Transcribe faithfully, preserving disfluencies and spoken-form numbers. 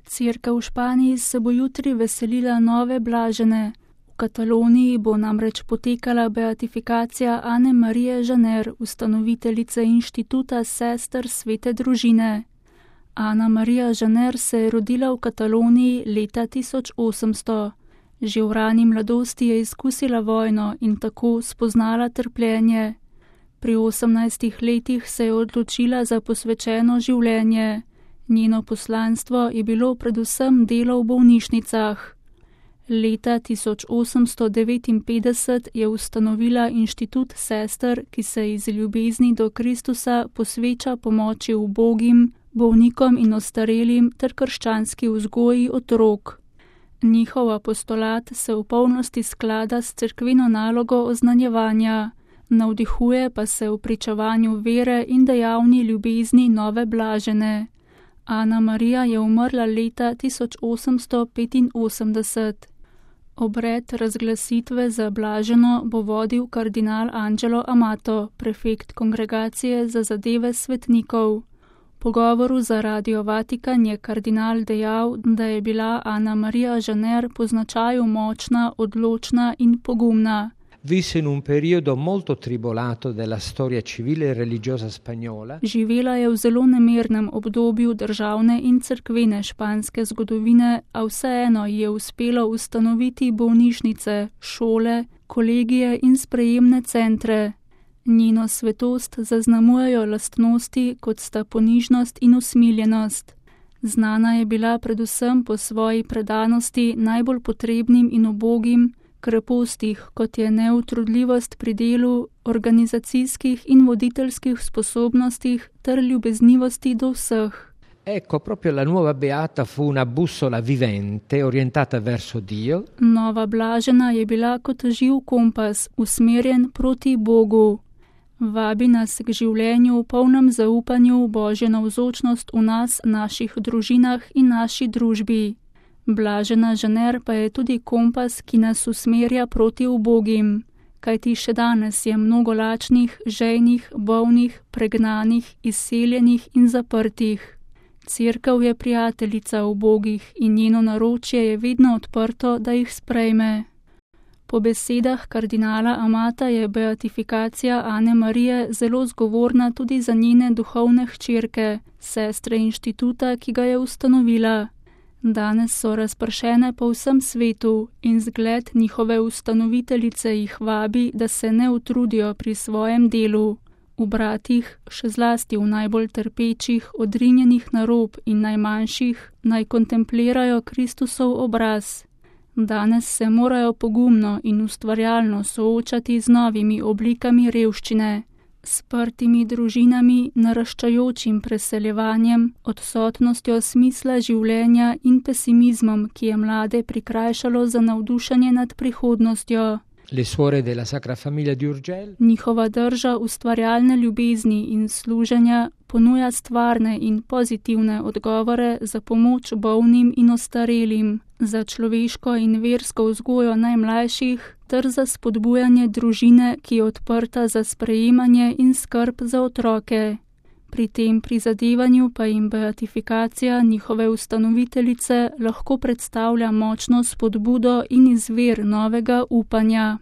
Cerkev v Španiji se bo jutri veselila nove blažene. V Kataloniji bo namreč potekala beatifikacija Ane Marije Žaner, ustanoviteljice inštituta sester svete družine. Ana Marija Žaner se je rodila v Kataloniji leta tisoč osemsto. Že v rani mladosti je izkusila vojno in tako spoznala trpljenje. Pri osemnajstih letih se je odločila za posvečeno življenje. Njeno poslanstvo je bilo predvsem delo v bolnišnicah. Leta tisoč osemsto devetinpetdeset je ustanovila inštitut sester, ki se iz ljubezni do Kristusa posveča pomoči ubogim, bolnikom in ostarelim ter krščanski vzgoji otrok. Njihov apostolat se v polnosti sklada s cerkveno nalogo oznanjevanja, navdihuje pa se v pričevanju vere in dejavni ljubezni nove blažene. Ana Marija je umrla leta tisoč osemsto petinosemdeset. Obred razglasitve za blaženo bo vodil kardinal Angelo Amato, prefekt kongregacije za zadeve svetnikov. V pogovoru za Radio Vatikan je kardinal dejal, da je bila Ana Marija Žaner po značaju močna, odločna in pogumna. Visse in un periodo molto tribolato della storia civile e religiosa spagnola. Živela je v zelo nemirnem obdobju državne in cerkvene španske zgodovine, a vseeno je uspelo ustanoviti bolnišnice, šole, kolegije in sprejemne centre. Njeno svetost zaznamujejo lastnosti, kot sta ponižnost in usmiljenost. Znana je bila predvsem po svoji predanosti najbolj potrebnim in ubogim, krepostih, kot je neutrudljivost pri delu, organizacijskih in voditeljskih sposobnostih ter ljubeznivosti do vseh. Ecco, proprio la nuova beata fu una bussola vivente orientata verso Dio. Nova blažena je bila kot živ kompas, usmerjen proti Bogu. Vabi nas k življenju v polnem zaupanju v Božjo navzočnost v nas, naših družinah in naši družbi. Blažena Žaner pa je tudi kompas, ki nas usmerja proti ubogim, kajti še danes je mnogo lačnih, žejnih, bolnih, pregnanih, izseljenih in zaprtih. Cerkev je prijateljica ubogih in njeno naročje je vedno odprto, da jih sprejme. Po besedah kardinala Amata je beatifikacija Ane Marije zelo zgovorna tudi za njene duhovne hčerke, sestre inštituta, ki ga je ustanovila. Danes so razpršene po vsem svetu in zgled njihove ustanoviteljice jih vabi, da se ne utrudijo pri svojem delu. V bratih, še zlasti v najbolj trpečih, odrinjenih na rob in najmanjših, naj kontemplirajo Kristusov obraz. Danes se morajo pogumno in ustvarjalno soočati z novimi oblikami revščine, sprtimi družinami, naraščajočim preseljevanjem, odsotnostjo smisla življenja in pesimizmom, ki je mlade prikrajšalo za navdušenje nad prihodnostjo. Le suore della Sacra Famiglia di Urgell. Njihova drža ustvarjalne ljubezni in služenja ponuja stvarne in pozitivne odgovore za pomoč bolnim in ostarelim, za človeško in versko vzgojo najmlajših ter za spodbujanje družine, ki je odprta za sprejemanje in skrb za otroke. Pri tem prizadevanju pa jim beatifikacija njihove ustanoviteljice lahko predstavlja močno spodbudo in izvir novega upanja.